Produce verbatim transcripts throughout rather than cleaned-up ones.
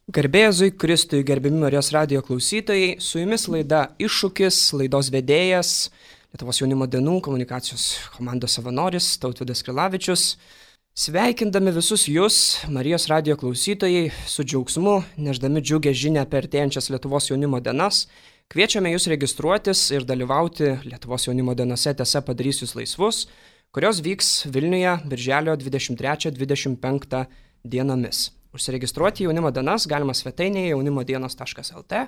Garbė Jėzui Kristui, gerbiami Marijos radijo klausytojai, su jumis laida Iššūkis, laidos vedėjas, Lietuvos jaunimo dienų komunikacijos komandos savanoris Tautvydas Krilavičius. Sveikindami visus jūs, Marijos radijo klausytojai, su džiaugsmu, neždami džiugę žinią apie artėjančias Lietuvos jaunimo dienas, kviečiame jūs registruotis ir dalyvauti Lietuvos jaunimo dienose Tiesa padarys jūs laisvus, kurios vyks Vilniuje birželio dvidešimt trečią dvidešimt penktą dienomis. Užsiregistruoti jaunimo dienas galima svetainėje jaunimo dienos taškas el tė,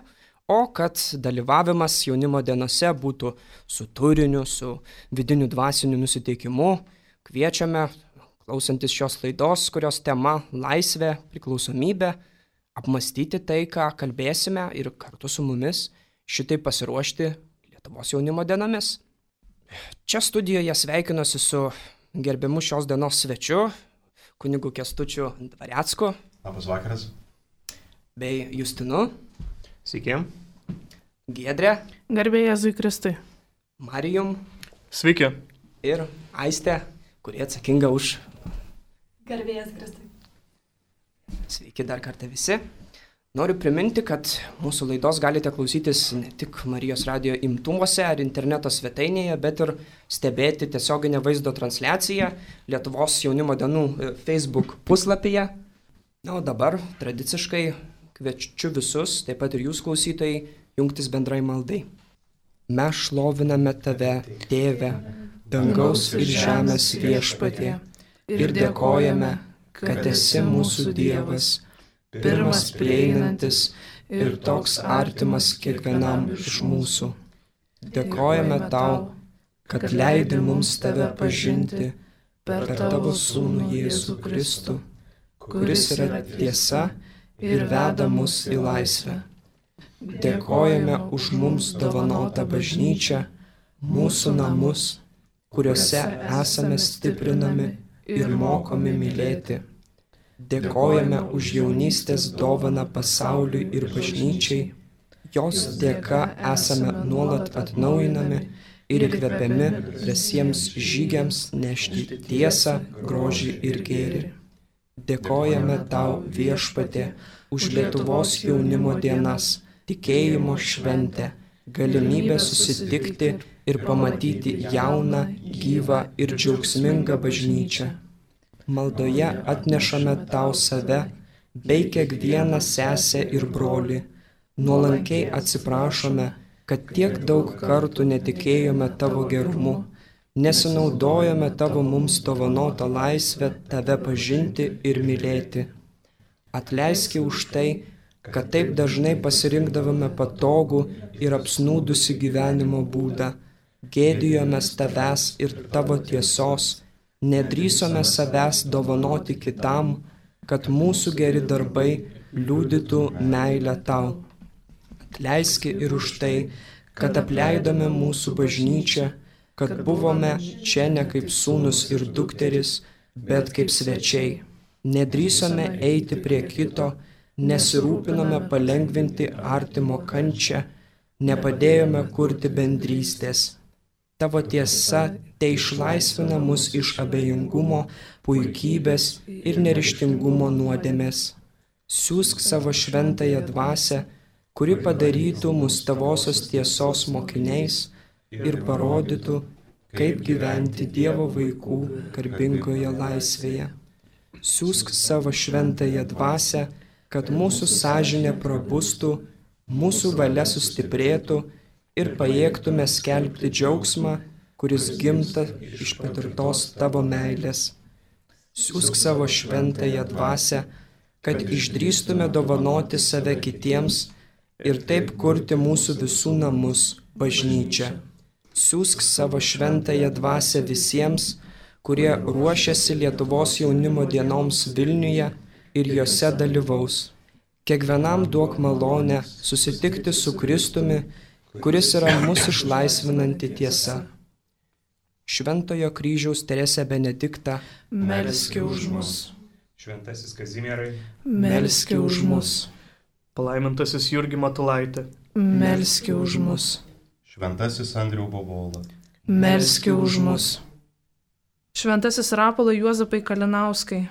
o kad dalyvavimas jaunimo dienose būtų su turiniu, su vidiniu dvasiniu nusiteikimu, kviečiame, klausantis šios laidos, kurios tema laisvė, priklausomybė, apmastyti tai, ką kalbėsime ir kartu su mumis šitai pasiruošti Lietuvos jaunimo dienomis. Čia studijoje sveikinuosi su gerbiamu šios dienos svečiu, kunigu Kęstučiu Dvarecku. Labas vakaras. Bei Justinu. Sveiki. Giedrė. Garbė Jėzui Kristui. Marijum. Sveiki. Ir Aistė, kurie atsakinga už... Garbė Jėzui Kristui. Sveiki dar kartą visi. Noriu priminti, kad mūsų laidos galite klausytis ne tik Marijos radijo imtuvose ar interneto svetainėje, bet ir stebėti tiesioginę vaizdo transliaciją Lietuvos jaunimo dienų Facebook puslapyje. Na, o dabar tradiciškai kviečiu visus, taip pat ir jūs klausytojai, jungtis bendrai maldai. Mes šloviname tave, Tėve, dangaus ir žemės viešpatie, ir dėkojame, kad esi mūsų Dievas, pirmas prieinantis ir toks artimas kiekvienam iš mūsų. Dėkojame tau, kad leidi mums tave pažinti per tavo sūnų Jėzų Kristų, kuris yra tiesa ir veda mus į laisvę. Dėkojame už mums dovanotą bažnyčią, mūsų namus, kuriuose esame stiprinami ir mokomi mylėti. Dėkojame už jaunystės dovaną pasauliui ir bažnyčiai. Jos dėka esame nuolat atnaujinami ir įkvepiami drąsiems žygiams nešti tiesą, grožį ir gėrį. Dėkojame tau, viešpatie, už Lietuvos jaunimo dienas, tikėjimo šventę, galimybę susitikti ir pamatyti jauną, gyvą ir džiaugsmingą bažnyčią. Maldoje atnešame tau save, bei kiekvieną sesę ir brolį. Nuolankiai atsiprašome, kad tiek daug kartų netikėjome tavo gerumu, nesinaudojome tavo mums dovanotą laisvę tave pažinti ir mylėti. Atleiski už tai, kad taip dažnai pasirinkdavome patogų ir apsnūdusi gyvenimo būdą, gėdijomės tavęs ir tavo tiesos, nedrįsome savęs dovanoti kitam, kad mūsų geri darbai liudytų meilę tau. Atleiski ir už tai, kad apleidome mūsų bažnyčią, kad buvome čia ne kaip sūnus ir dukteris, bet kaip svečiai. Nedrįsome eiti prie kito, nesirūpinome palengvinti artimo kančią, nepadėjome kurti bendrystės. Tavo tiesa te išlaisvina mus iš abejingumo, puikybės ir neryžtingumo nuodėmės. Siųsk savo šventąją dvasią, kuri padarytų mus tavosios tiesos mokiniais ir parodytų, kaip gyventi Dievo vaikų garbingoje laisvėje. Siųsk savo šventąją dvasią, kad mūsų sąžinė prabustų, mūsų valia sustiprėtų ir pajėgtume skelbti džiaugsmą, kuris gimta iš patirtos tavo meilės. Siųsk savo šventąją dvasią, kad išdrįstume dovanoti save kitiems ir taip kurti mūsų visų namus, bažnyčią. Siųsk savo šventąją dvasią visiems, kurie ruošiasi Lietuvos jaunimo dienoms Vilniuje ir jose dalyvaus. Kiekvienam duok malonę susitikti su Kristumi, kuris yra mūsų išlaisvinanti tiesa. Šventojo kryžiaus Teresė Benedikta, melski už mus. Šventasis Kazimierai, Melski už mus. palaimintasis Jurgi Matulaitė, Melski už mus. Šventasis Andrių Bobola. Melski už mus. Šventasis Rapolai Juozapai Kalinauskai.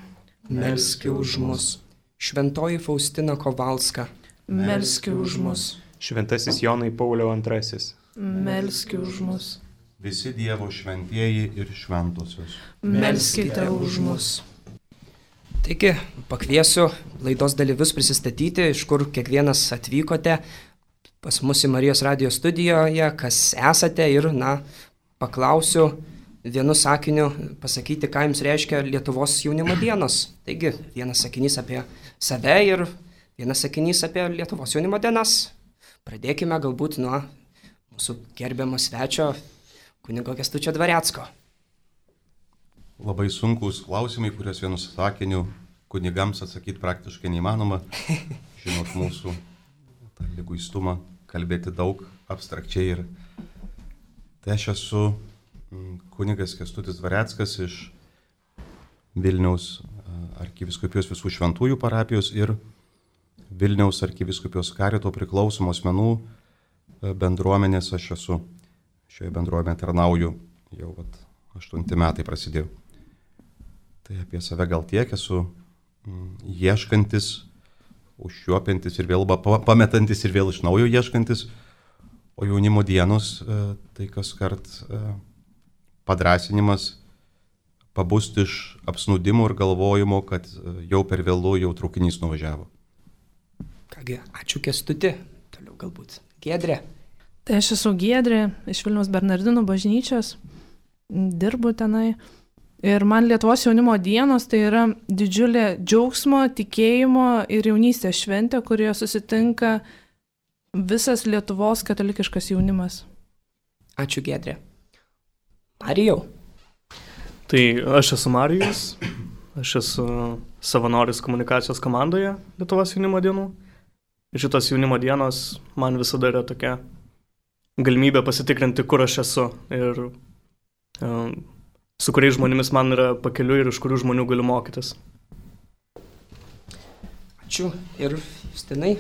melski už mus. Šventoji Faustina Kovalska, melski už mus, Šventasis Jonai Pauliau antrasis, melski už mus, Visi Dievo šventieji ir šventosios. melskite už mus. Taigi, pakviesiu laidos dalyvius prisistatyti, iš kur kiekvienas atvykote pas mus į Marijos radijo studijoje, kas esate ir, na, paklausiu vienu sakiniu pasakyti, ką jums reiškia Lietuvos jaunimo dienos. Taigi, vienas sakinys apie save ir vienas sakinys apie Lietuvos jaunimo dienas. Pradėkime galbūt nuo mūsų gerbiamo svečio, kunigo Kęstučio Dvarecko. Labai sunkus klausimai, kuriuos vienu sakiniu kunigams atsakyti praktiškai neįmanoma. Žinot mūsų tą liguistumą, kalbėti daug, abstrakčiai. Ir tai aš esu kunigas Kęstutis Dvareckas iš Vilniaus arkivyskupijos visų šventųjų parapijos ir Vilniaus arkivyskupijos karito priklausomos asmenų bendruomenės. Aš esu šioje bendruomenėje tarnauju jau vat, aštunti metai prasidėjo. Tai apie save gal tiek, esu ieškantis, užšiuopintis ir vėl pametantis ir vėl iš naujo ieškantis, o jaunimo dienos tai kas kart padrasinimas pabusti iš apsnūdimo ir galvojimo, kad jau per vėlu, jau traukinys nuvažiavo. Kągi, ačiū Kęstuti, toliau galbūt Giedrė. Tai aš esu Giedrė iš Vilniaus Bernardinų bažnyčios, dirbu tenai. Ir man Lietuvos jaunimo dienos tai yra didžiulė džiaugsmo, tikėjimo ir jaunystės šventė, kurioje susitinka visas Lietuvos katalikiškas jaunimas. Ačiū Giedrė. Marijau. Tai aš esu Marijus, aš esu savanoris komunikacijos komandoje Lietuvos jaunimo dienų. Šitos jaunimo dienos man visada yra tokia galimybė pasitikrinti, kur aš esu ir um, su kuriais žmonėmis man yra pakeliui ir iš kurių žmonių galiu mokytis. Ačiū. Ir Justinai?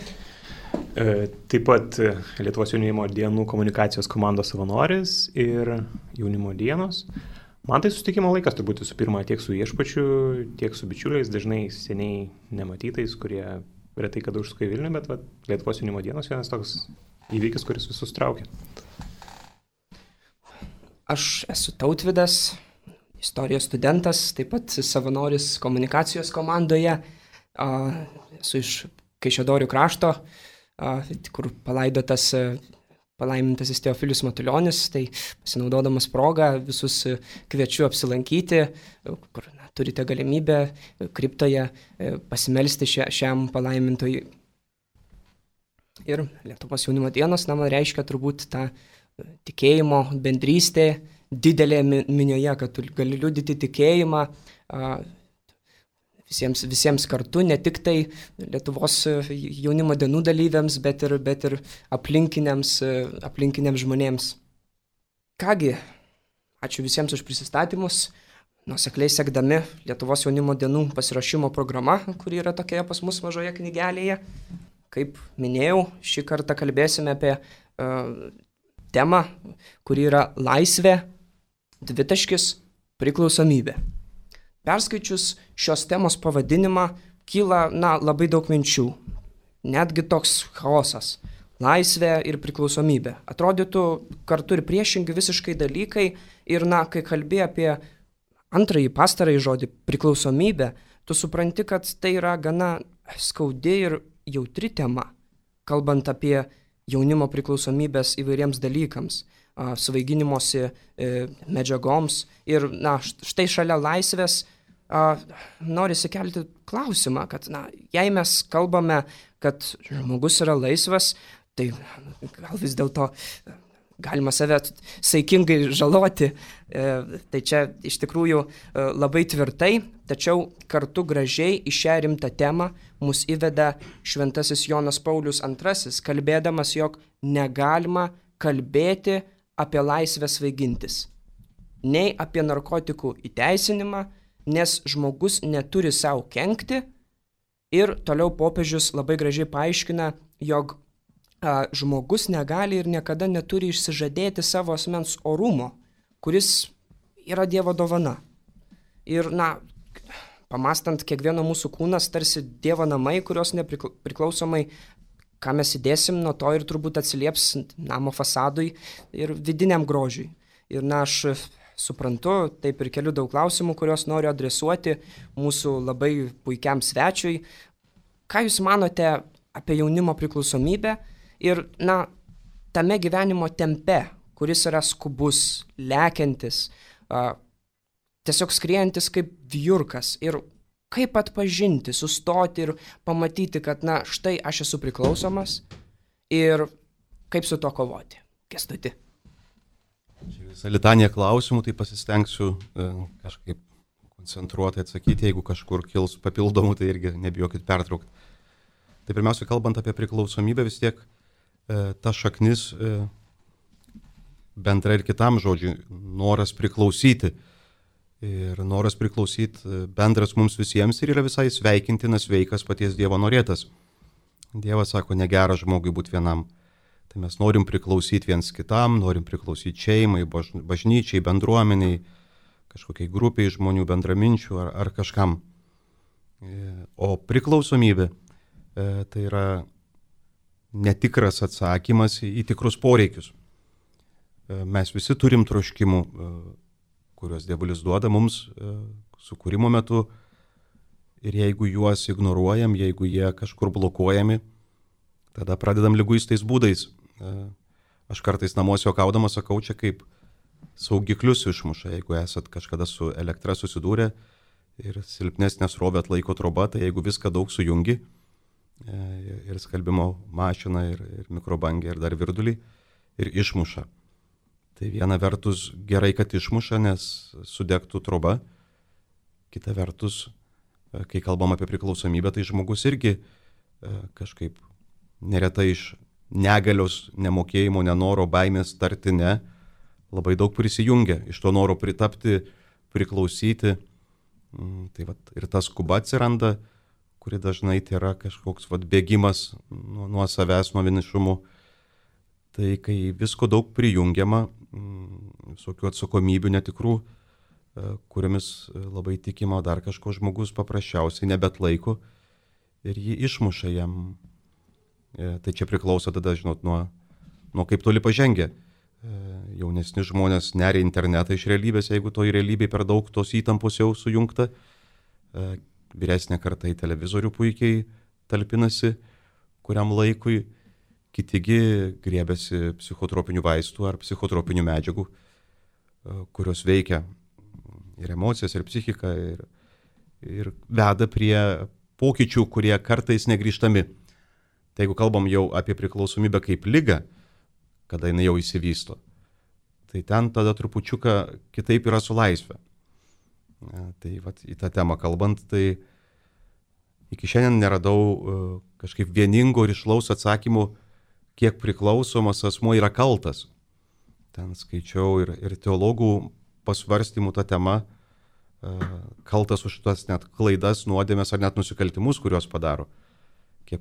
E, taip pat Lietuvos jaunimo dienų komunikacijos komandos savanoris ir jaunimo dienos. Man tai susitikimo laikas turbūt visų pirma tiek su viešpačiu, tiek su bičiuliais, dažnai seniai nematytais, kurie retai kada užsuka į Vilnių, bet va, Lietuvos jaunimo dienos vienas toks įvykis, kuris visus traukia. Aš esu Tautvydas, istorijos studentas, taip pat savanoris komunikacijos komandoje. Esu iš Kaišiadorių krašto, kur palaidotas palaimintasis Teofilius Matulionis, tai pasinaudodamas progą visus kviečiu apsilankyti, kur na, turite galimybę kriptoje pasimelsti šia, šiam palaimintojui. Ir Lietuvos jaunimo dienos, na, man reiškia turbūt tą tikėjimo bendrystė didelė minioje, kad tu gali liudyti tikėjimą visiems, visiems kartu, ne tik tai Lietuvos jaunimo dienų dalyviams, bet ir, bet ir aplinkiniams, aplinkiniams žmonėms. Kągi, ačiū visiems už prisistatymus, nuosekliai sekdami Lietuvos jaunimo dienų pasiruošimo programa, kuri yra tokioje pas mus mažoje knygelėje. Kaip minėjau, šį kartą kalbėsime apie uh, temą, kuri yra laisvė, dvitaškis, priklausomybė. Perskaičius šios temos pavadinimą, kyla, na, labai daug minčių. Netgi toks chaosas. Laisvė ir priklausomybė. Atrodytų kartu ir priešingi visiškai dalykai. Ir, na, kai kalbė apie antrąjį pastarąjį žodį priklausomybę, tu supranti, kad tai yra gana skaudi ir jautri tema, kalbant apie jaunimo priklausomybės įvairiems dalykams, svaiginimosi medžiagoms. Ir, na, štai šalia laisvės norisi kelti klausimą, kad, na, jei mes kalbame, kad žmogus yra laisvas, tai gal vis dėlto galima save saikingai žaloti. Tai čia iš tikrųjų labai tvirtai, tačiau kartu gražiai į šią rimtą temą mus įveda šventasis Jonas Paulius antrasis, kalbėdamas, jog negalima kalbėti apie laisvę svaigintis, nei apie narkotikų įteisinimą, nes žmogus neturi savo kenkti. Ir toliau popiežius labai gražiai paaiškina, jog a, žmogus negali ir niekada neturi išsižadėti savo asmens orumo, kuris yra Dievo dovana. Ir, na, pamastant, kiekvieno mūsų kūnas tarsi Dievo namai, kurios nepriklausomai, ką mes įdėsim, nuo to ir turbūt atsilieps namo fasadui ir vidiniam grožiui. Ir na, aš suprantu, taip ir keliu daug klausimų, kuriuos noriu adresuoti mūsų labai puikiam svečiui. Ką Jūs manote apie jaunimo priklausomybę ir, na, tame gyvenimo tempe, kuris yra skubus, lekiantis, a, tiesiog skriejantis kaip vijurkas ir kaip atpažinti, sustoti ir pamatyti, kad, na, štai aš esu priklausomas ir kaip su to kovoti. Kęstuti. Čia visą litanija klausimų, tai pasistengsiu e, kažkaip koncentruotai atsakyti, jeigu kažkur kils papildomų, tai irgi nebijokit pertraukti. Tai pirmiausia, kalbant apie priklausomybę, vis tiek e, ta šaknis e, bendra ir kitam žodžiui, noras priklausyti. Ir noras priklausyti bendras mums visiems ir yra visai sveikintinas, sveikas paties Dievo norėtas. Dievas sako, negera žmogui būti vienam. Tai mes norim priklausyti viens kitam, norim priklausyti šeimai, bažnyčiai, bendruomeniai, kažkokiai grupiai žmonių, bendraminčių ar, ar kažkam. O priklausomybė tai yra netikras atsakymas į tikrus poreikius. Mes visi turim troškimų, kuriuos Dievulis duoda mums e, sukūrimo metu ir jeigu juos ignoruojam, jeigu jie kažkur blokuojami, tada pradedam liguistais būdais. E, aš kartais namuose juokaudamas sakau, čia kaip saugiklius išmuša, jeigu esat kažkada su elektra susidūrę ir silpnesnė srovė atlaiko troba, tai jeigu viską daug sujungi, e, ir skalbimo mašiną, ir, ir mikrobangę, ir dar virdulį, ir išmuša. Tai viena vertus gerai, kad išmuša, nes sudegtų troba. Kita vertus, kai kalbam apie priklausomybę, tai žmogus irgi kažkaip neretai iš negalios, nemokėjimo, nenoro, baimės tarti ne, labai daug prisijungia. Iš to noro pritapti, priklausyti. Tai vat, ir ta skuba atsiranda, kuri dažnai tai yra kažkoks vat, bėgimas nuo, nuo savęs, nuo vienišumo. Tai kai visko daug prijungiama, visokių atsakomybių netikrų, kuriomis labai tikima, dar kažko žmogus paprasčiausiai nebetlaiko ir jį išmuša jam. Tai čia priklauso tada, žinot, nuo, nuo kaip toli pažengia. Jaunesni žmonės neria internetą iš realybės, jeigu to į realybėj per daug tos įtampos jau sujungta. Vyresnė karta į televizorių puikiai talpinasi kuriam laikui. Kitigi griebėsi psichotropinių vaistų ar psichotropinių medžiagų, kurios veikia ir emocijas, ir psichiką, ir, ir veda prie pokyčių, kurie kartais negrįžtami. Tai jeigu kalbam jau apie priklausomybę kaip ligą, kada jinai jau įsivysto, tai ten tada trupučiuką kitaip yra su laisvė. Tai vat, į tą temą kalbant, tai iki šiandien neradau kažkaip vieningo ir išlaus atsakymų, kiek priklausomas asmuo yra kaltas. Ten skaičiau ir, ir teologų pasvarstymų tą temą, kaltas už tas net klaidas, nuodėmės ar net nusikaltimus, kuriuos padaro. Kiek,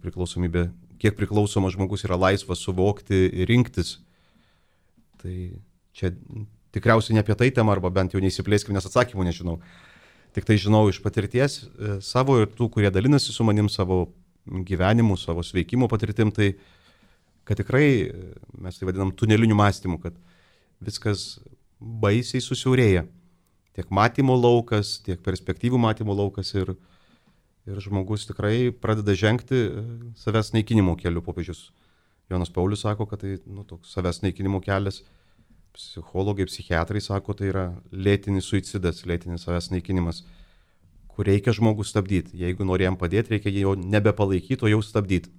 kiek priklausomas žmogus yra laisvas suvokti ir rinktis. Tai čia tikriausiai ne apie tai tema, arba bent jau neįsiplėskime, nes atsakymų nežinau. Tik tai žinau iš patirties savo ir tų, kurie dalinasi su manim savo gyvenimu, savo sveikimo patirtim, tai kad tikrai mes tai vadinam tuneliniu mąstymu, kad viskas baisiai susiaurėja. Tiek matymo laukas, tiek perspektyvų matymo laukas ir, ir žmogus tikrai pradeda žengti savęs naikinimo keliu. Popiežius Jonas Paulius sako, kad tai nu, toks savęs naikinimo kelias. Psichologai, psichiatrai sako, tai yra lėtinis suicidas, lėtinis savęs naikinimas, kur reikia žmogų stabdyti. Jeigu nori jam padėti, reikia jo nebepalaikyti, o jau stabdyti.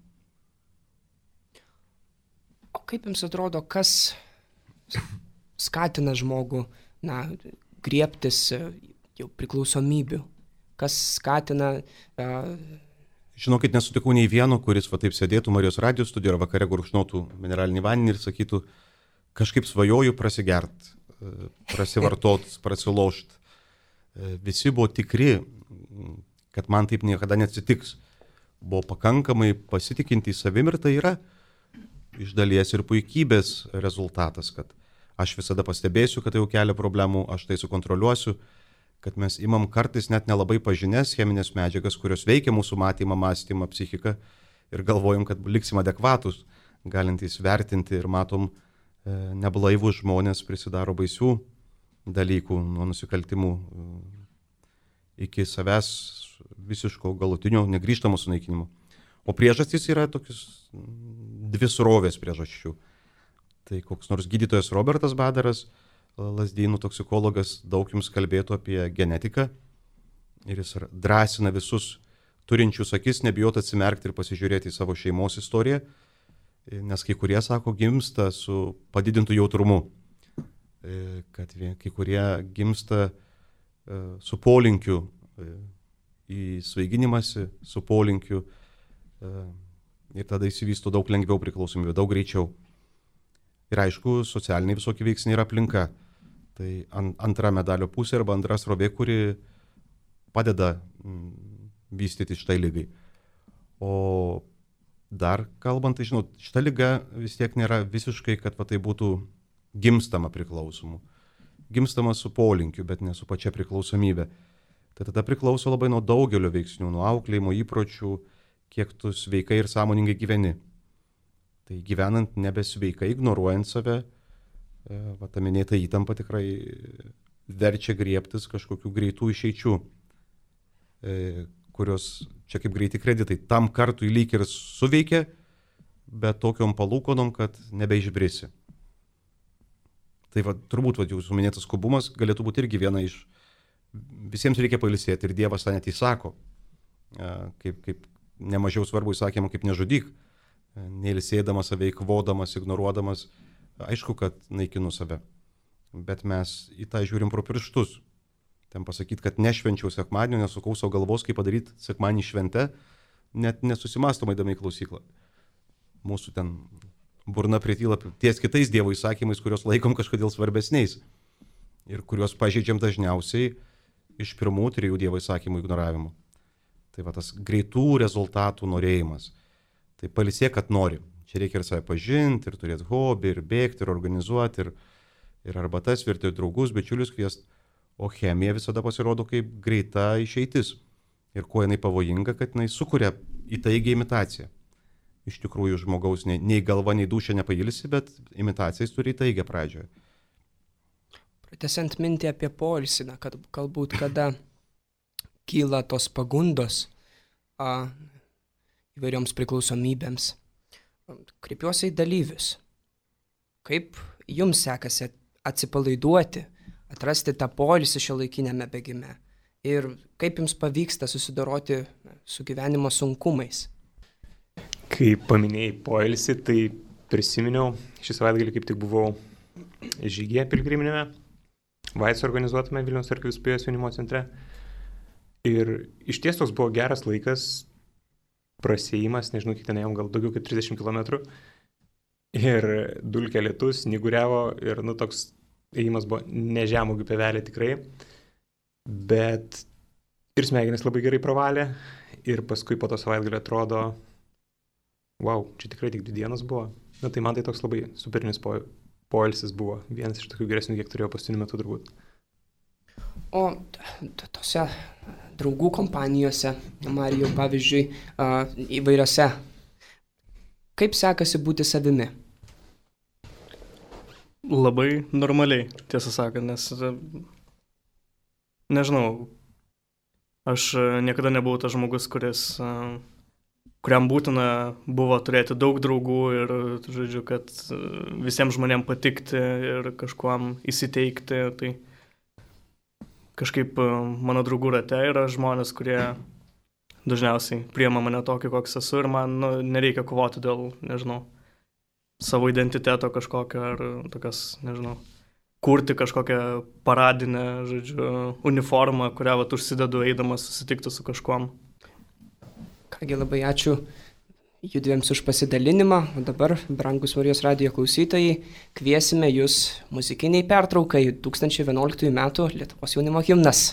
O kaip jums atrodo, kas skatina žmogų, na, griebtis jau priklausomybių? Kas skatina... Uh... Žinokit, nesutikau nei vieno, kuris va taip sėdėtų Marijos radijos studijoje ar vakare gurkšnotų mineralinį vandenį ir sakytų, kažkaip svajoju prasigert, prasivartot, prasilošt. Visi buvo tikri, kad man taip niekada neatsitiks. Buvo pakankamai pasitikinti į savim ir tai yra iš dalies ir puikybės rezultatas, kad aš visada pastebėsiu, kad tai jau kelia problemų, aš tai sukontroliuosiu, kad mes imam kartais net nelabai pažinės cheminės medžiagas, kurios veikia mūsų matymą, mąstymą, psichiką ir galvojam, kad liksim adekvatus, galintys vertinti ir matom e, neblaivus žmonės prisidaro baisių dalykų nuo nusikaltimų e, iki savęs visiško galutinio negrįžtamo sunaikinimo. O priežastys yra tokius dvi srovės priežasčių. Tai koks nors gydytojas Robertas Badaras, Lazdynų toksikologas, daug jums kalbėtų apie genetiką ir jis drąsina visus turinčius akis nebijoti atsimerkti ir pasižiūrėti į savo šeimos istoriją, nes kai kurie, sako, gimsta su padidintu jautrumu, kad kai kurie gimsta su polinkiu į svaiginimąsi, su polinkiu ir tada įsivysto daug lengviau priklausomybė, daug greičiau. Ir aišku, socialiniai visokie veiksniai yra aplinka. Tai antra medalio pusė arba antra srovė, kuri padeda vystyti šitai lygai. O dar kalbant, tai žinot, šita lyga vis tiek nėra visiškai, kad va, tai būtų gimstama priklausomu. Gimstama su polinkiu, bet ne su pačia priklausomybė. Tai tada priklauso labai nuo daugelio veiksnių, nuo auklėjimo įpročių, kiek tu sveikai ir sąmoningai gyveni. Tai gyvenant nebesveikai, ignoruojant save, va, ta minėta įtampa tikrai verčia griebtis kažkokių greitų išeičių, kurios čia kaip greiti kreditai tam kartui lyg ir suveikia, bet tokiom palūkonom, kad nebeišbrisi. Tai va, turbūt va, jūsų minėtas skubumas galėtų būti irgi viena iš, visiems reikia pailsėti ir Dievas tą net įsako, kaip, kaip nemažiau svarbu įsakymą, kaip nežudyk. Neilsėdamas save, eikvodamas, ignoruodamas, aišku, kad naikinu save. Bet mes į tą žiūrim pro pirštus. Ten pasakyti, kad nešvenčiau sekmadienio, nesukau savo galvos, kaip padaryti sekmadienį švente, net nesusimąstomai įdami į klausyklą. Mūsų ten burna prityla ties kitais Dievo įsakymais, kuriuos laikom kažkodėl svarbesniais ir kuriuos pažeidžiam dažniausiai iš pirmų trijų Dievo įsakymų ignoravimų. Tai va tas greitų rezultatų norėjimas. Tai pailsėk, kad nori. Čia reikia ir save pažinti, ir turėti hobį, ir bėgti, ir organizuoti, ir, ir arbatas virti, ir draugus, bičiulius kviesti. O chemija visada pasirodo kaip greita išeitis. Ir kuo jinai pavojinga, kad jinai sukuria įtaigę imitaciją. Iš tikrųjų žmogaus nei, nei galva, nei dūšia nepailsi, bet imitacijas turi įtaigę pradžioje. Pratęsiant mintį apie poilsį, kad galbūt kada kyla tos pagundos a, įvairioms priklausomybėms. Kreipiuosi į dalyvius. Kaip jums sekasi atsipalaiduoti, atrasti tą poilsį šiuolaikiniame bėgime? Ir kaip jums pavyksta susidoroti su gyvenimo sunkumais? Kai paminėjai poilsį, tai prisiminiau, šį savaitgalį kaip tik buvau žygyje pilgriminėme, Vaico organizuotame Vilniaus arkivyskupijos jaunimo centre. Ir iš ties toks buvo geras laikas, prasėjimas, nežinau, kiek ten ėjom, gal daugiau kaip trisdešimt kilometrų. Ir dulkė lietus, snyguriavo ir, nu, toks ėjimas buvo ne žemuogių pievelė tikrai. Bet ir smegenis labai gerai pravalė. Ir paskui po to savaitgalį atrodo, wow, čia tikrai tik dvi dienos buvo. Na, tai man tai toks labai superinis po, poilsis buvo. Vienas iš tokių geresnių, kiek turėjau paskutiniu metu turbūt. O tose draugų kompanijose, Marijau, pavyzdžiui, įvairiose, kaip sekasi būti savimi? Labai normaliai, tiesą sakant, nes, nežinau, aš niekada nebuvau tas žmogus, kuris, kuriam būtina buvo turėti daug draugų ir, žodžiu, kad visiems žmonėms patikti ir kažkuam įsiteikti, tai kažkaip mano draugų rate yra žmonės, kurie dažniausiai priima mane tokį, koks esu ir man, nu, nereikia kovoti dėl, nežinau, savo identiteto kažkokio ar tokias, nežinau, kurti kažkokią paradinę, žodžiu, uniformą, kurią vat užsidedu eidamas susitikti su kažkuom. Kągi, labai ačiū judviems už pasidalinimą, o dabar, brangus Marijos radijo klausytojai, kviesime jūs muzikiniai pertraukai du tūkstančiai vienuoliktųjų metų Lietuvos jaunimo himnas.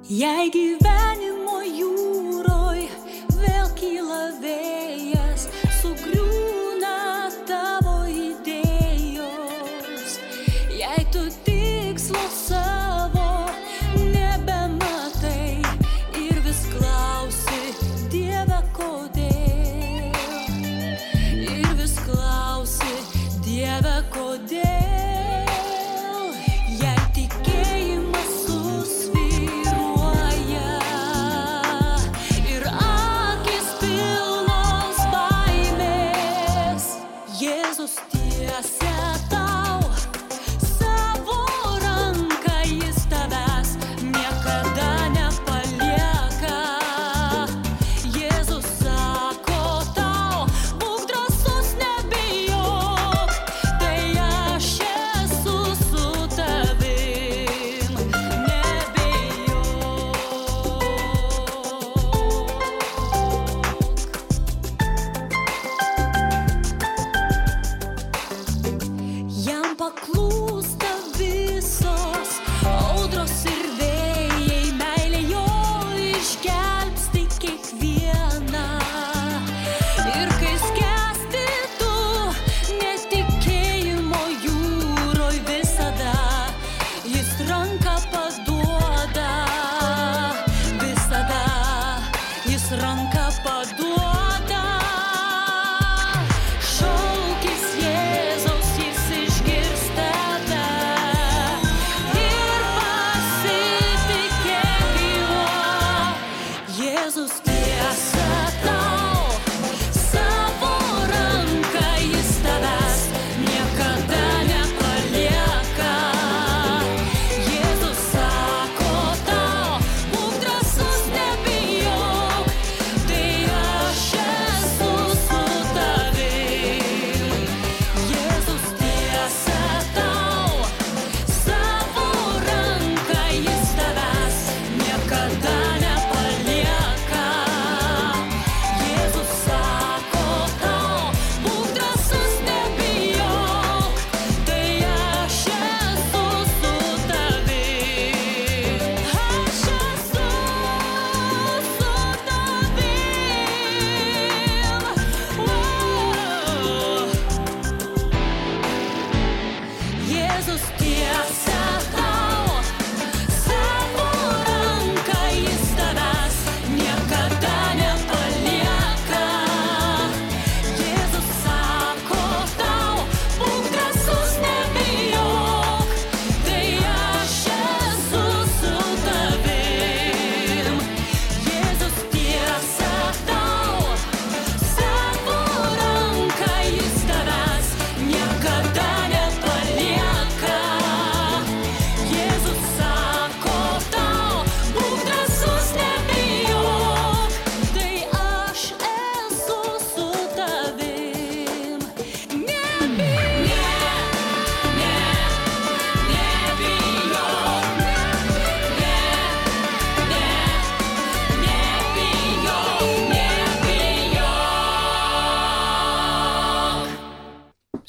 Jei gyvenimo jūroj vėl kyla vėjas, sugriūna tavo idėjos. Jei tu tikslo savo nebematai ir vis klausi, Dieve, kodėl? Ir vis klausi, Dieve, kodėl?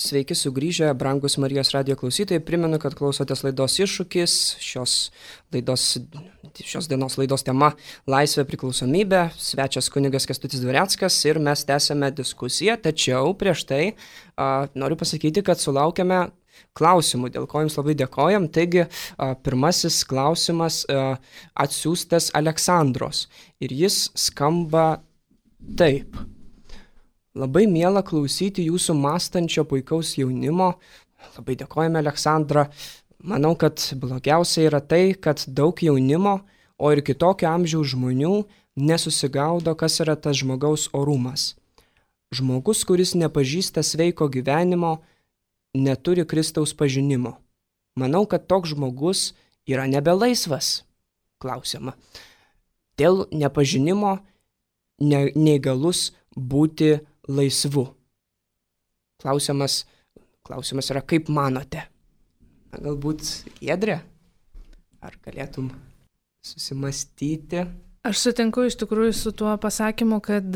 Sveiki sugrįžę, brangus Marijos radijo klausytojai. Primenu, kad klausotės laidos Iššūkis. Šios, laidos, šios dienos laidos tema Laisvė priklausomybė. Svečias kunigas Kęstutis Dvareckas ir mes tęsiame diskusiją. Tačiau prieš tai a, noriu pasakyti, kad sulaukėme klausimų, dėl ko jums labai dėkojam. Taigi, a, pirmasis klausimas a, atsiųstas Aleksandros ir jis skamba taip. Labai miela klausyti jūsų mąstančio puikaus jaunimo. Labai dėkojame, Aleksandra. Manau, kad blogiausia yra tai, kad daug jaunimo, o ir kitokio amžiaus žmonių nesusigaudo, kas yra tas žmogaus orumas. Žmogus, kuris nepažįsta sveiko gyvenimo, neturi Kristaus pažinimo. Manau, kad toks žmogus yra nebelaisvas. Klausiama. Dėl nepažinimo ne, neįgalus būti laisvu. Klausimas, klausimas yra, kaip manote? Na, galbūt Giedrė? Ar galėtum susimastyti? Aš sutinku iš tikrųjų su tuo pasakymu, kad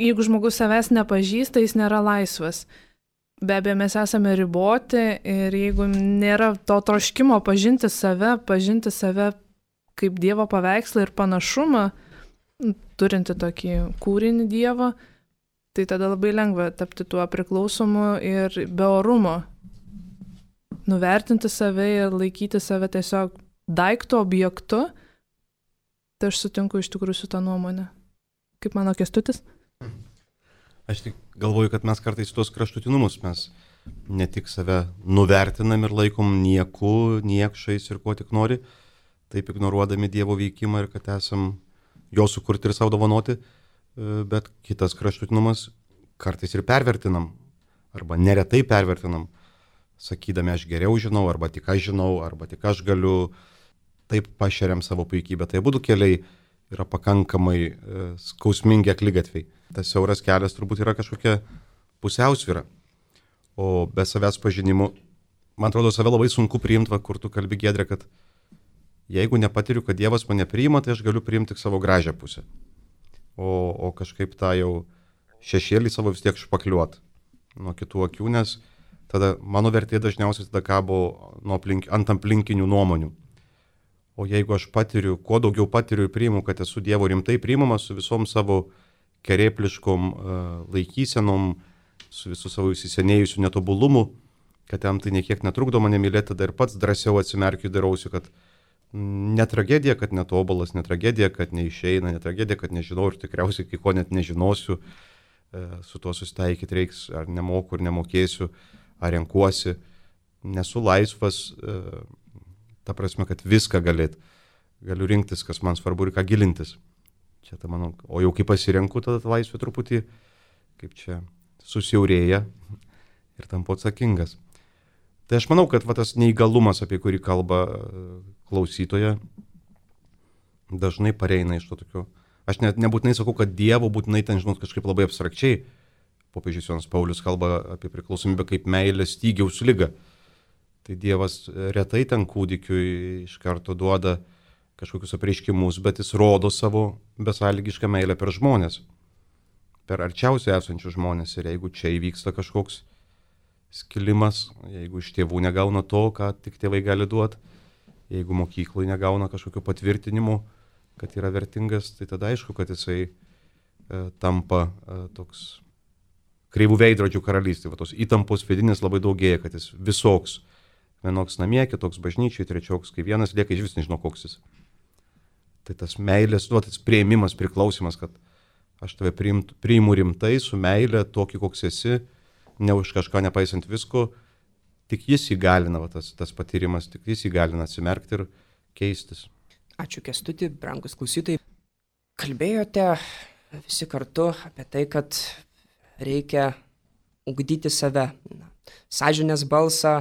jeigu žmogus savęs nepažįsta, jis nėra laisvas. Be abejo, mes esame riboti ir jeigu nėra to troškimo pažinti save, pažinti save kaip Dievo paveikslą ir panašumą, turinti tokį kūrinį Dievo, tai tada labai lengva tapti tuo priklausomu ir be orumo. Nuvertinti save ir laikyti save tiesiog daikto objektu, tai aš sutinku iš tikrųjų su tą nuomonę. Kaip mano Kęstutis? Aš tik galvoju, kad mes kartais tuos kraštutinumus mes ne tik save nuvertinam ir laikom nieku, niekšais ir ko tik nori, taip ignoruodami Dievo veikimą ir kad esam jo sukurti ir savo dovanoti, bet kitas kraštutinumas kartais ir pervertinam, arba neretai pervertinam, sakydami aš geriau žinau, arba tik aš žinau, arba tik aš galiu, taip pašeriam savo puikybę. Tai būdų keliai yra pakankamai e, skausmingi akligatviai. Tas siauras kelias turbūt yra kažkokia pusiausvyra. O be savęs pažinimų, man atrodo, save labai sunku priimti, va, kur tu kalbi, Giedrė, kad jeigu nepatiriu, kad Dievas mane priima, tai aš galiu priimti tik savo gražią pusę. O, o kažkaip tą jau šešėlį savo vis tiek špakliuot nuo kitų akių, nes tada mano vertė dažniausiai tada kabo nuo aplink, ant aplinkinių nuomonių. O jeigu aš patiriu, kuo daugiau patiriu ir priimu, kad esu Dievo rimtai priimamas su visom savo kerėpliškom uh, laikysenom, su visų savo įsisenėjusiu netobulumu, kad jam tai niekiek netrukdo mane mylėti, tada ir pats drąsiau atsimerkiu ir darausiu, kad ne tragedija, kad netobulas, ne tragedija, kad neišeina, ne tragedija, kad nežinau ir tikriausiai kai ko net nežinosiu, uh, su tuo susitaikyti reiks, ar nemoku, ar nemokėsiu, ar renkuosi, nesu laisvas, uh, ta prasme, kad viską galėt, galiu rinktis, kas man svarbu ir ką gilintis. Čia ta mano, o jau kai pasirenku, tada laisvė truputį, kaip čia, susiaurėja ir tampu atsakingas. Tai aš manau, kad va, tas neįgalumas, apie kurį kalba klausytoja, dažnai pareina iš to tokio. Aš net nebūtinai sakau, kad Dievo būtinai ten, žinot, kažkaip labai abstrakčiai. Popiežius Jonas Paulius kalba apie priklausomybę kaip meilę stygiaus ligą. Tai Dievas retai ten kūdikiui iš karto duoda kažkokius apreiškimus, bet jis rodo savo besąlygišką meilę per žmonės, per arčiausiai esančius žmonės. Ir jeigu čia įvyksta kažkoks skilimas, jeigu iš tėvų negauna to, ką tik tėvai gali duoti, jeigu mokyklai negauna kažkokio patvirtinimo, kad yra vertingas, tai tada aišku, kad jisai e, tampa e, toks kreivų veidrodžių karalystė. Va, tos įtampos vidinės labai daugėja, kad jis visoks. Vienoks namie, kitoks bažnyčiai, trečioks, kai vienas lieka, iš vis nežinau koks jis. Tai tas meilės, duotas prieimimas, priklausimas, kad aš tave priimt, priimu rimtai, su meilė, tokį koks esi, ne už kažką nepaisant visko, tik jis įgalina, va, tas, tas patyrimas, tik jis įgalina atsimerkti ir keistis. Ačiū Kęstuti, brangus klausytojai. Kalbėjote visi kartu apie tai, kad reikia ugdyti save, sąžinės balsą,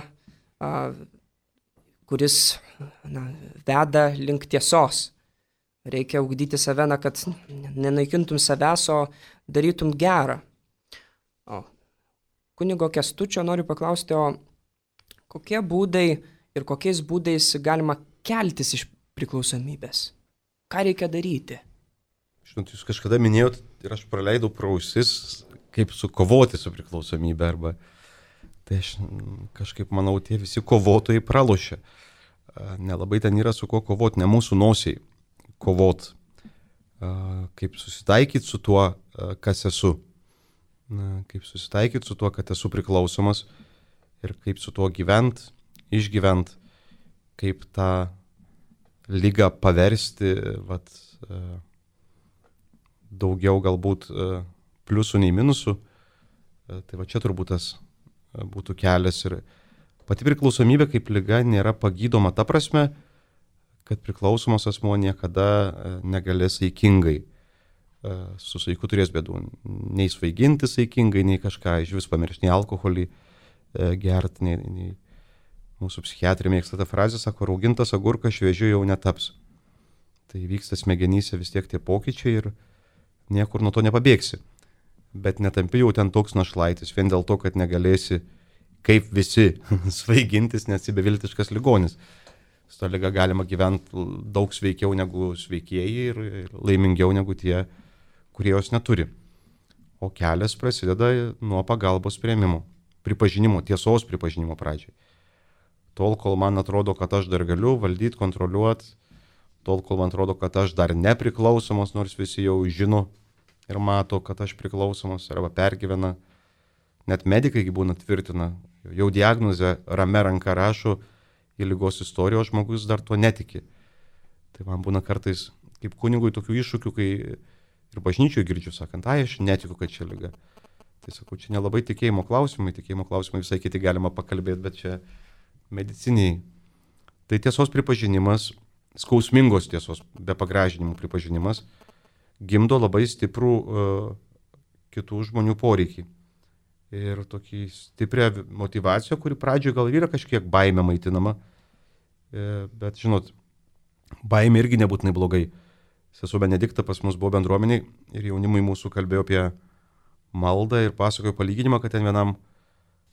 kuris na, veda link tiesos. Reikia ugdyti save, na, kad nenaikintum savęs, o darytum gerą. O kunigo Kęstučio noriu paklausti, o kokie būdai ir kokiais būdais galima keltis iš priklausomybės? Ką reikia daryti? Žinot, jūs kažkada minėjot ir aš praleidau pro ausis, kaip sukovoti su priklausomybė arba tai aš kažkaip manau, tie visi kovotojai pralošia. Nelabai ten yra su kuo kovoti, ne mūsų nosiai kovot. Kaip susitaikyti su tuo, kas esu. Kaip susitaikyti su tuo, kad esu priklausomas ir kaip su tuo gyvent, išgyvent, kaip tą ligą paversti, vat, daugiau galbūt pliusų nei minusų. Tai va čia turbūt tas būtų kelias. Ir pati priklausomybė kaip liga nėra pagydoma ta prasme, kad priklausomas asmuo niekada negalės saikingai. Su saiku turės bėdų. Nei svaiginti saikingai, nei kažką iš vis pamiršti, nei alkoholį gerti, nei, nei mūsų psichiatrija mėgsta tą frazę, sako, raugintas agurkas šviežiu jau netaps. Tai vyksta smegenyse vis tiek tie pokyčiai ir niekur nuo to nepabėgsi. Bet netampi jau ten toks našlaitis, vien dėl to, kad negalėsi kaip visi svaigintis, nes esi beviltiškas ligonis. Su to liga galima gyventi daug sveikiau negu sveikieji ir laimingiau negu tie, kurie jos neturi. O kelias prasideda nuo pagalbos priėmimo, pripažinimo, tiesos pripažinimo pradžiai. Tol, kol man atrodo, kad aš dar galiu valdyti, kontroliuoti, tol kol man atrodo, kad aš dar nepriklausomas, nors visi jau žino ir mato, kad aš priklausomas arba pergyvena. Net medikai būna tvirtina, jau diagnozę rame ranka rašo į ligos istoriją, o žmogus dar tuo netiki. Tai man būna kartais kaip kunigui tokių iššūkių, kai ir bažnyčioje girdžiu, sakant, ai, aš netikiu, kad čia liga. Tai sakau, čia nelabai tikėjimo klausimai, tikėjimo klausimai visai kiti galima pakalbėti, bet čia mediciniai. Tai tiesos pripažinimas, skausmingos tiesos, be pagražinimų pripažinimas, gimdo labai stiprų uh, kitų žmonių poreikį. Ir tokį stiprią motivaciją, kuri pradžioje gal yra kažkiek baimė maitinama, e, bet žinot, baimė irgi nebūtinai blogai. Sesuo Benedikta pas mus buvo bendruomeniai ir jaunimui mūsų kalbėjo apie maldą ir pasakojo palyginimą, kad ten vienam,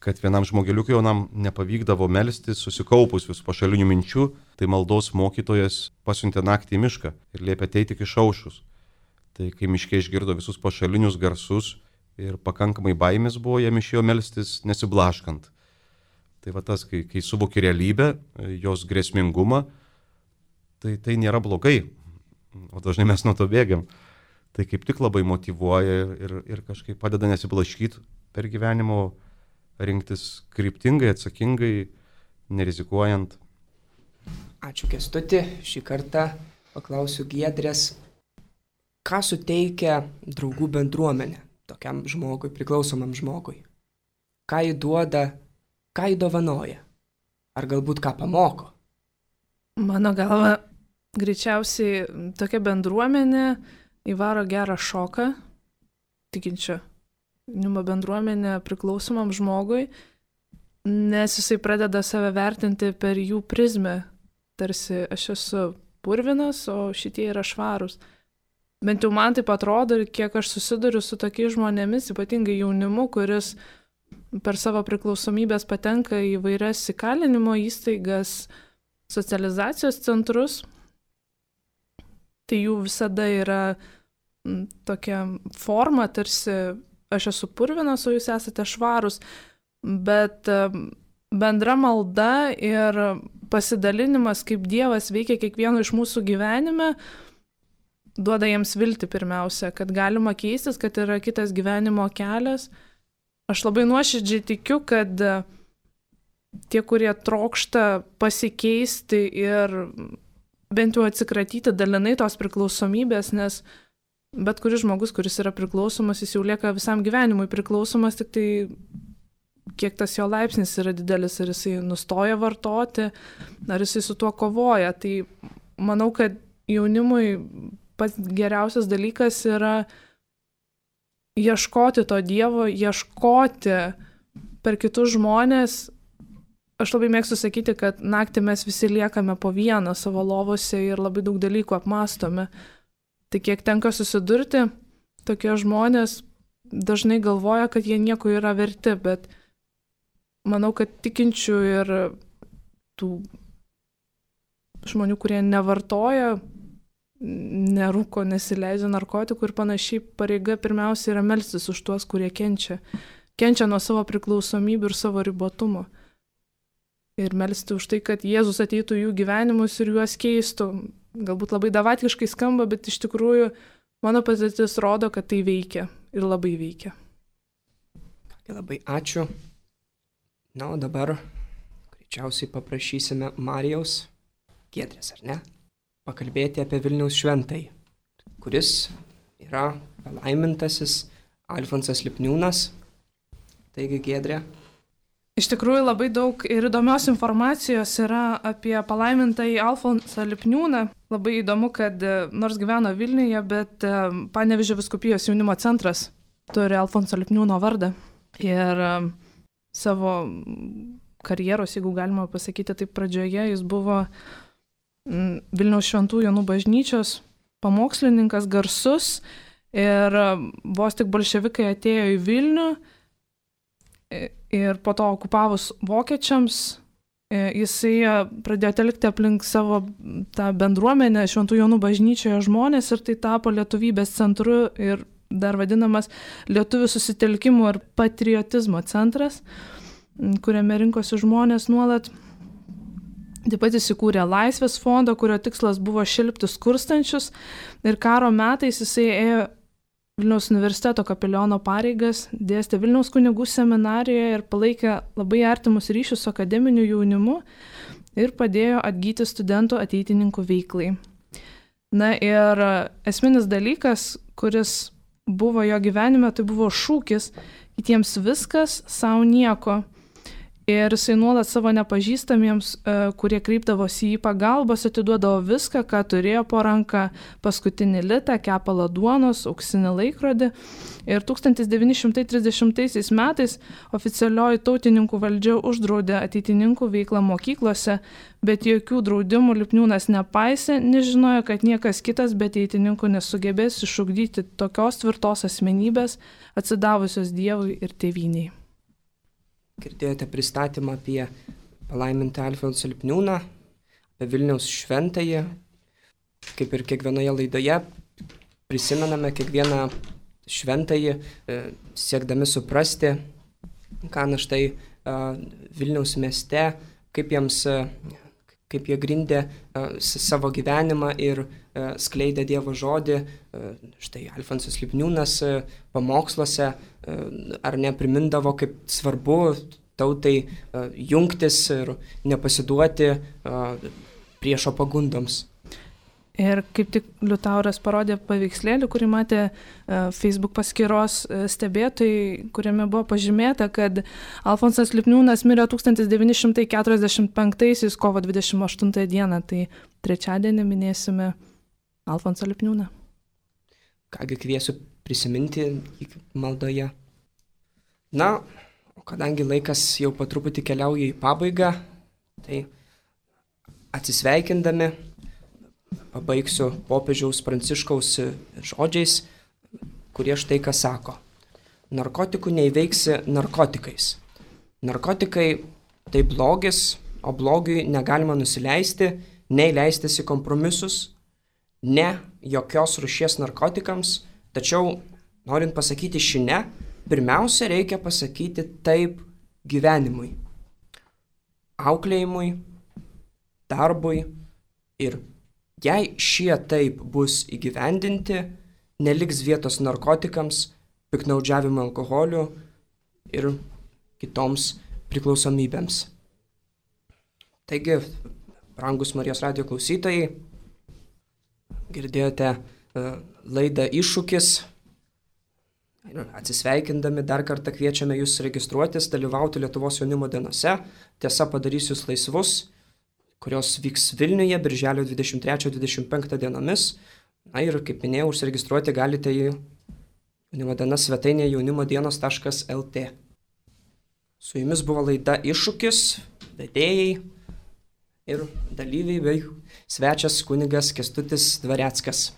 kad vienam žmogeliukui jaunam nepavykdavo melstis susikaupus vis pašalinių minčių, tai maldos mokytojas pasiuntė naktį į mišką ir liepė ateiti iki išaušus. Tai kai miške išgirdo visus pašalinius garsus ir pakankamai baimės buvo, jam išėjo melstis nesiblaškant. Tai va tas, kai, kai suvoki realybę, jos grėsmingumą, tai tai nėra blogai, o dažnai mes nuo to bėgiam. Tai kaip tik labai motyvuoja ir, ir, ir kažkaip padeda nesiblaškyti per gyvenimo, rinktis kryptingai, atsakingai, nerizikuojant. Ačiū Kęstuti, šį kartą paklausiu Giedrės, ką suteikia draugų bendruomenė tokiam žmogui, priklausomam žmogui? Ką jį duoda, ką jį dovanoja? Ar galbūt ką pamoko? Mano galva, greičiausiai tokia bendruomenė įvaro gerą šoką tikinčio jaunimo bendruomenė priklausomam žmogui, nes jisai pradeda save vertinti per jų prizmę. Tarsi aš esu purvinas, o šitie yra švarūs. Bent jau man taip atrodo, ir kiek aš susiduriu su tokiais žmonėmis, ypatingai jaunimu, kuris per savo priklausomybės patenka į vairias įkalinimo įstaigas, socializacijos centrus, tai jų visada yra tokia forma, tarsi aš esu purvinas, o jūs esate švarūs, bet bendra malda ir pasidalinimas, kaip Dievas veikia kiekvieno iš mūsų gyvenime, duoda jiems viltį pirmiausia, kad galima keistis, kad yra kitas gyvenimo kelias. Aš labai nuoširdžiai tikiu, kad tie, kurie trokšta pasikeisti ir bent jau atsikratyti dalinai tos priklausomybės, nes bet kuris žmogus, kuris yra priklausomas, jis jau lieka visam gyvenimui priklausomas, tik tai kiek tas jo laipsnis yra didelis, ar jisai nustoja vartoti, ar jisai su tuo kovoja. Tai manau, kad jaunimui pats geriausias dalykas yra ieškoti to Dievo, ieškoti per kitus žmonės. Aš labai mėgstu sakyti, kad naktį mes visi liekame po vieną savo lovose ir labai daug dalykų apmastome. Tai kiek tenka susidurti, tokie žmonės dažnai galvoja, kad jie nieko yra verti, bet manau, kad tikinčių ir tų žmonių, kurie nevartoja, nerūko, nesileidžia narkotikų ir panašiai, pareiga pirmiausia yra melstis už tuos, kurie kenčia. Kenčia nuo savo priklausomybių ir savo ribotumo. Ir melsti už tai, kad Jėzus ateitų į jų gyvenimus ir juos keistų. Galbūt labai davatkiškai skamba, bet iš tikrųjų mano patirtis rodo, kad tai veikia ir labai veikia. Labai ačiū. Na, o dabar greičiausiai paprašysime Marijaus, Giedrės, ar ne, pakalbėti apie Vilniaus šventąjį, kuris yra palaimintasis Alfonsas Lipniūnas. Taigi, Giedrė. Iš tikrųjų labai daug ir įdomios informacijos yra apie palaimintąjį Alfonsą Lipniūną. Labai įdomu, kad nors gyveno Vilniuje, bet Panevėžio vyskupijos jaunimo centras turi Alfonso Lipniūno vardą. Ir savo karjeros, jeigu galima pasakyti taip pradžioje, jis buvo Vilniaus Šventų Jonų bažnyčios pamokslininkas garsus ir vos tik bolševikai atėjo į Vilnių ir po to okupavus vokiečiams, jisai pradėjo telkti aplink savo tą bendruomenę Šventų Jonų bažnyčioje žmonės ir tai tapo lietuvybės centru ir dar vadinamas lietuvių susitelkimo ir patriotizmo centras, kuriame rinkosi žmonės nuolat. Taip pat įsikūrė Laisvės fondą, kurio tikslas buvo šelpti skurstančius ir karo metais jisai ėjo Vilniaus universiteto kapeliono pareigas, dėstė Vilniaus kunigų seminarijoje ir palaikė labai artimus ryšius su akademiniu jaunimu ir padėjo atgyti studentų ateitininkų veiklai. Na ir esminis dalykas, kuris buvo jo gyvenime, tai buvo šūkis kitiems viskas, savo nieko. Ir jisai nuolat savo nepažįstamiems, kurie kreipdavosi į pagalbos, atiduodavo viską, ką turėjo po ranką, paskutinį litą, kepalą duonos, auksinį laikrodį. Ir tūkstantis devyni šimtai trisdešimtaisiais metais oficialioji tautininkų valdžia uždraudė ateitininkų veiklą mokyklose, bet jokių draudimų Lipniūnas nepaisė, nežinojo, kad niekas kitas be ateitininkų nesugebės išugdyti tokios tvirtos asmenybės, atsidavusios Dievui ir tėvynei. Girdėjote pristatymą apie palaimintą Alfonsą Lipniūną, apie Vilniaus šventąjį. Kaip ir kiekvienoje laidoje prisimename kiekvieną šventąjį, siekdami suprasti, ką na štai Vilniaus mieste, kaip, jiems, kaip jie grindė savo gyvenimą ir skleidė Dievo žodį. Štai Alfonsas Lipniūnas pamoksluose ar neprimindavo, kaip svarbu tautai jungtis ir nepasiduoti priešo pagundoms. Ir kaip tik Liutauras parodė paveikslėlį, kurį matė Facebook paskyros stebėtojai, kuriame buvo pažymėta, kad Alfonsas Lipniūnas mirė tūkstantis devyni šimtai keturiasdešimt penktaisiais kovo dvidešimt aštuntąją dieną, tai trečiadienį minėsime Alfonsą Lipniūną. Kągi kviesiu prisiminti maldoje. Na, o kadangi laikas jau po truputį keliauja į pabaigą, tai atsisveikindami pabaigsiu popiežiaus Pranciškaus žodžiais, kurie štai ką sako. Narkotikų neįveiksi narkotikais. Narkotikai tai blogis, o blogiui negalima nusileisti, nei leistis į kompromisus, ne jokios rūšies narkotikams, tačiau, norint pasakyti šį ne, pirmiausia reikia pasakyti taip gyvenimui, auklėjimui, darbui ir jei šie taip bus įgyvendinti, neliks vietos narkotikams, piktnaudžiavimo alkoholiu ir kitoms priklausomybėms. Taigi, brangus Marijos radijo klausytojai, girdėjote uh, laidą Iššūkis. Ir atsisveikindami dar kartą kviečiame jūs registruotis, dalyvauti Lietuvos jaunimo dienose. Tiesa, padarys jūs laisvus, kurios vyks Vilniuje birželio dvidešimt trečią dvidešimt penktą dienomis. Na ir, kaip minėjau, užsiregistruoti galite į jaunimo dienos svetainėje jaunimodienos taškas el tė. Su jumis buvo laida Iššūkis, vedėjai ir dalyviai bei svečias kunigas Kęstutis Dvareckas.